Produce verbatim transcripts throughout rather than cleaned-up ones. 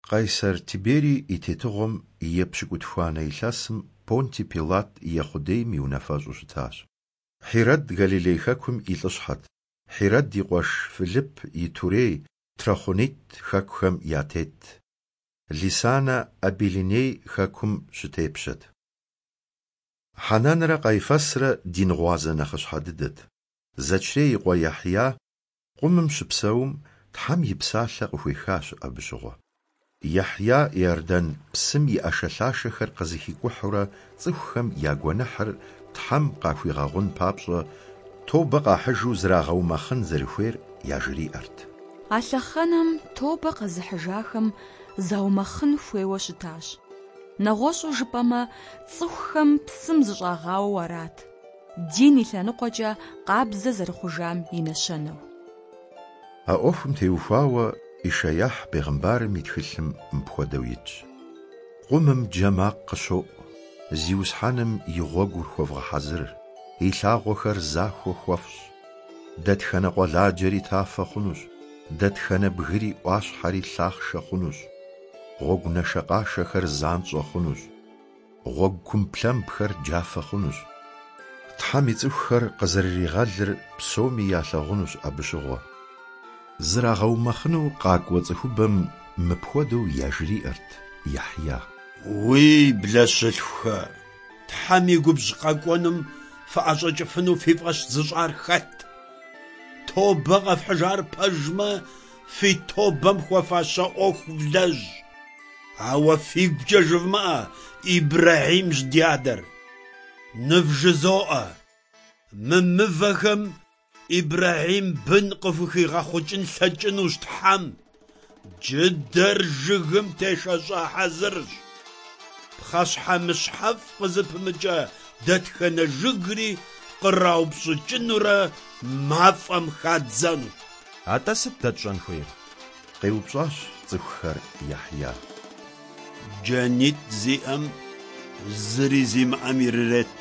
Къайсэр Тиберий и тетыгъуэм и епщыкӏутхуанэ илъэсым Понтий Пилат Ехъудейм и унафэщӏу щытащ. Хьирэд Галилей хэкум и лӏыщхьэт, Хьирэд и къуэш Филипп Итурей, Трахъунит хэкухэм я тетт, Лисанэ Абилиней хэкум щытепщэт. Хьэнанрэ Къайфэсрэ дин гъуазэ нэхъыщхьэ дыдэт. Зэчрей и къуэ Яхья къумым щыпсэум Тхьэм и псалъэ къыхуехащ абы щыгъуэ. Яхья Иордан псым и ӏэшэлъашэхэр къызэхикӏухьурэ цӏыхухэм я гуэныхьыр Тхьэм къахуигъэгъун папщӏэ тобэ къахьыжу зрагъэумэхъын зэрыхуейр яжриӏэрт. А лъэхъэнэм тобэ къэзыхьыжахэм заумэхъын хуейуэ щытащ. Нэгъуэщӏу жыпӏэмэ, цӏыхухэм псым зыщӏагъауэу арат, дин и лъэныкъуэкӏэ къабзэ зэрыхъужам и нэщэнэу. А ӏуэхум теухуауэ Ишаяхь бегъымбарым и тхылъым мыпхуэдэу итщ: Къумым джэ макъ къыщоӏу, Зиусхьэным и гъуэгур хуэвгъэхьэзыр, и лъагъуэхэр захуэ хуэфщӏ. Дэтхэнэ къуэладжэри тафэ хъунущ, дэтхэнэ бгыри ӏуащхьэри лъахъшэ хъунущ. Гъуэгу нашэкъашэхэр занщӏэ хъунущ, гъуэгу кумблъэмбхэр джафэ хъунущ. Тхьэм и цӏыхухэр къызэрыригъэлыр псоми ялъагъунущ абы щыгъуэ. Зрагъэумэхъыну къакӏуэ цӏыхубэм мыпхуэдэу яжриӏэрт Яхья: Уи блэщылъхухэ, Тхьэм и губжь къэкӏуэнум фыӏэщӏэкӏыфыну фи фӏэщ зыщӏар хэт? Тобэ къэфхьыжар пэжмэ, фи тобэм хуэфащэ ӏуэху влэжь. Ауэ фигукӏэ жывмыӏэ: Ибрэхьимщ ди адэр. Нывжызоӏэ, мы мывэхэм Ибрэхьим бын къыхухигъэхъукӏын лъэкӏынущ Тхьэм. Джыдэр жыгым тешэщӏа хьэзырщ. Пхъэщхьэмыщхьэфӏ къызыпымыкӏэ дэтхэнэ жыгри къраупщӏыкӏынурэ мафӏэм хадзэнущ. Атӏэ сыт дэ тщӏэн хуейр? Къеупщӏащ цӏыхухэр Яхья. Джанитӏ зиӏэм зыри зимыӏэм ирырет,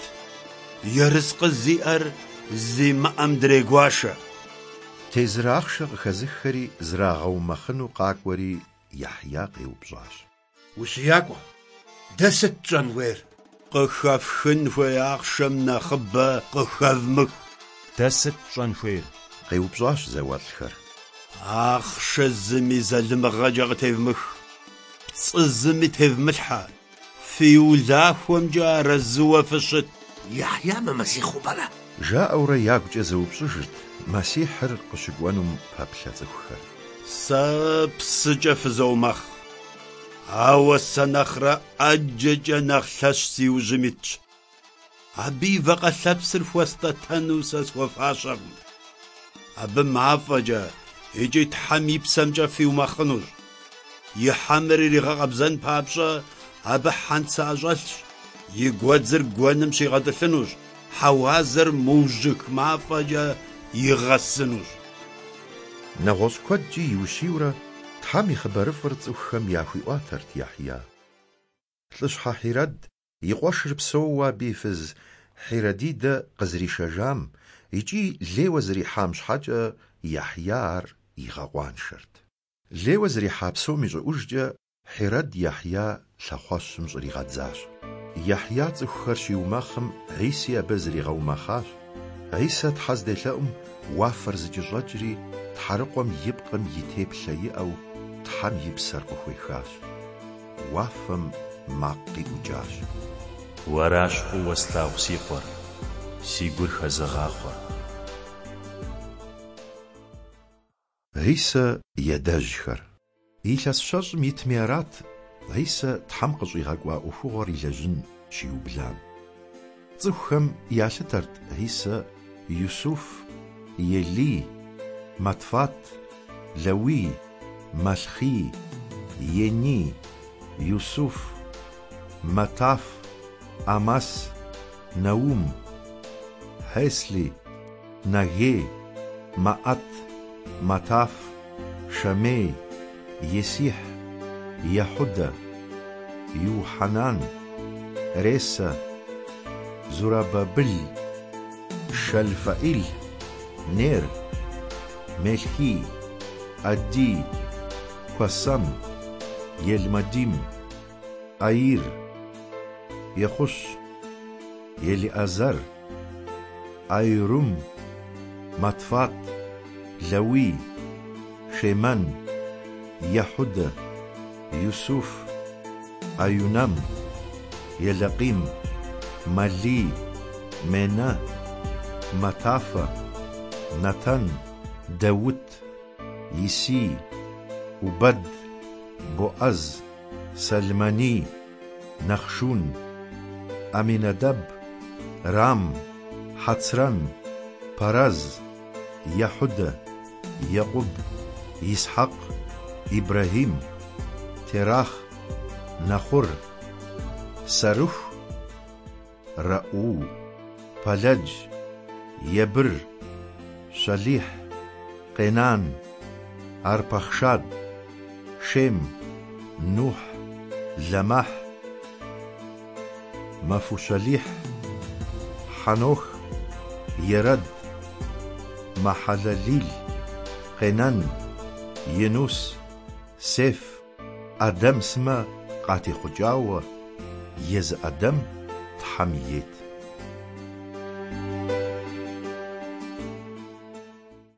ерыскъы зиӏэр зимыӏэм дрегуашэ. Тезыр ахъшэ къыхэзыххэри зрагъэумэхъыну къакӏуэри Яхья къеупщӏащ: Ущиякӏуэ, дэ сыт тщӏэн хуейр? Къыхэфхын хуей ахъшэм нэхъыбэ къыхэвмых. Дэ сыт тщӏэн хуейр? Къеупщӏащ зауэлӏхэр. Ахъшэ зыми залымыгъэкӏэ къытевмых, пцӏы зыми тевмылъхьэ, фи улахуэмкӏэ арэзыуэ фыщыт. Яхья мымэсихьу пӏэрэ? Жаӏэурэ ягукӏэ зэупщӏыжырт Мэсихьыр къыщыкӏуэнум пэплъэ цӏыхухэр. Сэ псыкӏэ фызоумэхъ, ауэ сэ нэхърэ ӏэджэкӏэ нэхъ лъэщ си ужьым итщ. Абы и вакъэ лъэпсыр хуэстӏэтэну сэ схуэфащэкъым. Абы мафӏэкӏэ икӏи Тхьэм и псэмкӏэ фиумэхъынущ. И хьэмыр иригъэкъэбзэн папщӏэ абы хьэнцэ ӏэщӏэлъщ, и гуэдзыр гуэным щигъэтӏылъынущ, хьэуазэр мыужьых мафӏэкӏэ игъэсынущ. Нэгъуэщӏ куэдкӏи иущийурэ Тхьэм и хъыбарыфӏыр цӏыхухэм яхуиӏуатэрт Яхья. Лӏыщхьэ Хьирэд и къуэшыр псэууэ абы и фыз Хьирэдидэ къызэришэжам икӏи лейуэ зэрихьам щхьэкӏэ Яхья ар игъэкъуаншэрт. Лейуэ зэрихьа псом ищӏыӏужкӏэ Хьирэд Яхья лъэхъуэщым щӏригъэдзащ. Яхья цӏыхухэр щиумэхъым Хьиси абы зригъэумэхъащ. Хьисэ Тхьэ зделъэӏум уафэр зэкӏэщӏэкӏри тхьэрыкъуэм и пкъым и теплъэ иӏэу Тхьэм и псэр къыхуехащ. Уафэм макъ къиӏукӏащ: Уэращ фӏыуэ слъагъу си къуэр, си гур хэзыгъахъуэр. Хьисэ и адэжьхэр. Илъэс щэщӏым итми арат Хьисэ Тхьэм къыщӏигъэкӏуа ӏуэхугъуэр илэжьын щиублам. Цӏыхухэм ялъытэрт Хьисэ Юсуф, Елий, Матфат, Лэуий, Малхий, Ений, Юсуф, Матаф, Амас, Наум, Хьесли, Нагей, Маӏэт, Матаф, Шамей, Есихь, Ехьудэ, Юхьэнан, Ресэ, Зурабабыл, Шэлфаӏил, Нер, Мелхий, Адий, Куэсэм, Елмадим, Аир, Ехъущ, Елиӏэзэр, Айрум, Матфат, Лэуий, Шемэн, Ехьудэ, Юсуф, Аюнэм, Елэкъим, Малий, Менэ, Матафэ, Нэтэн, Даут, Исий, Убэд, Боӏэз, Сэлмэний, Нэхъшун, Аминэдэб, Рам, Хьэцрэн, Пэрэз, Ехьудэ, Екъуб, Исхьэкъ, Ибрэхьим, Терах, Нэхъур, Сэрыху, Рэӏуу, Пэлэдж, Ебыр, Щэлихь, Къенан, Арпахшад, Шем, Нухь, Лэмэхь, Мэфущэлихь, Хьэнох, Ерэд, Мэхьэлэлил, Къенэн, Енус, Сеф, Ӏэдэм сымэ къатехъукӏауэ, езы Ӏэдэм Тхьэм ейт.